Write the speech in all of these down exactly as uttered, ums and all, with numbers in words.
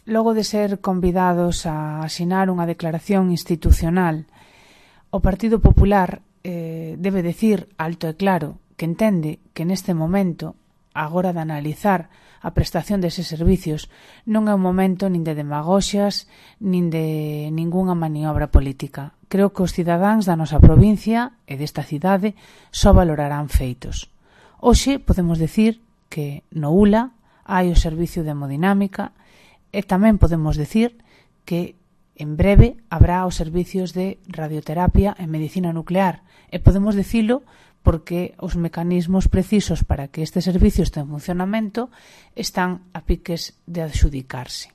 logo de ser convidados a asinar unha declaración institucional, o Partido Popular eh, debe decir alto e claro que entende que neste momento, agora de analizar a prestación deses servicios, non é un momento nin de demagoxias, nin de ningunha maniobra política. Creo que os cidadáns da nosa provincia e desta cidade só valorarán feitos. Hoxe podemos decir que no U L A hai o servicio de hemodinámica e tamén podemos decir que en breve habrá os servicios de radioterapia e medicina nuclear e podemos dicilo porque os mecanismos precisos para que este servicio este en funcionamento están a piques de adxudicarse.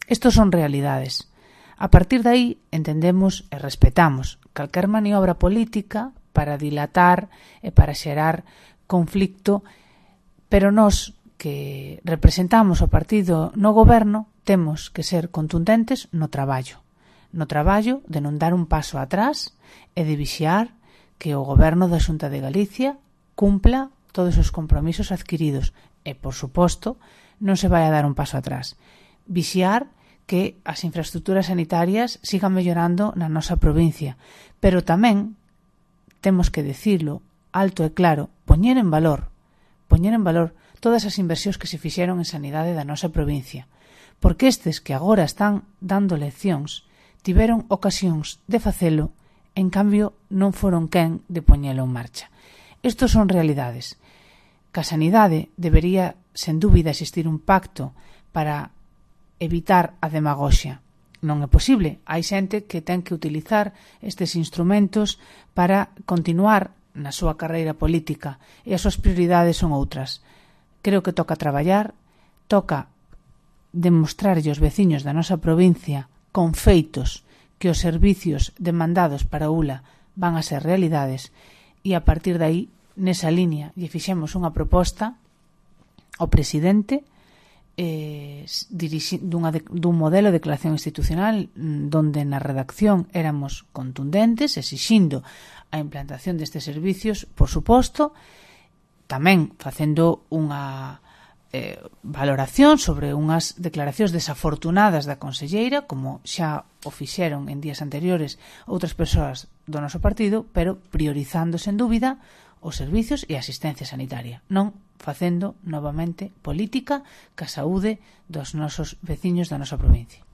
Estos son realidades. A partir de aí entendemos e respetamos calquer maniobra política para dilatar e para xerar conflicto, pero nós que representamos o partido no goberno temos que ser contundentes no traballo. No traballo de non dar un paso atrás e de vixiar que o goberno da Xunta de Galicia cumpla todos os compromisos adquiridos e, por suposto, non se vai a dar un paso atrás. Vixiar que as infraestructuras sanitarias sigan mellorando na nosa provincia, pero tamén temos que dicirlo alto e claro, poñer en valor, poñer en valor todas as inversións que se fixeron en sanidade da nosa provincia, porque estes que agora están dando leccións tiveron ocasións de facelo, en cambio non foron quen de poñelo en marcha. Estos son realidades. Que a sanidade debería, sen dúbida, existir un pacto para evitar a demagoxia. Non é posible. Hai xente que ten que utilizar estes instrumentos para continuar na súa carreira política e as súas prioridades son outras. Creo que toca traballar, toca demostrarlle aos veciños da nosa provincia con feitos que os servicios demandados para o U L A van a ser realidades e a partir de aí, nesa línea, lle fixemos unha proposta ao presidente eh, dirixi, dunha de, dun modelo de declaración institucional donde na redacción éramos contundentes, exixindo a implantación destes servicios, por suposto, tamén facendo unha eh, valoración sobre unhas declaracións desafortunadas da conselleira, como xa o fixeron en días anteriores outras persoas do noso partido, pero priorizando, sen dúbida, os servicios e a asistencia sanitaria, non facendo novamente política ca saúde dos nosos veciños da nosa provincia.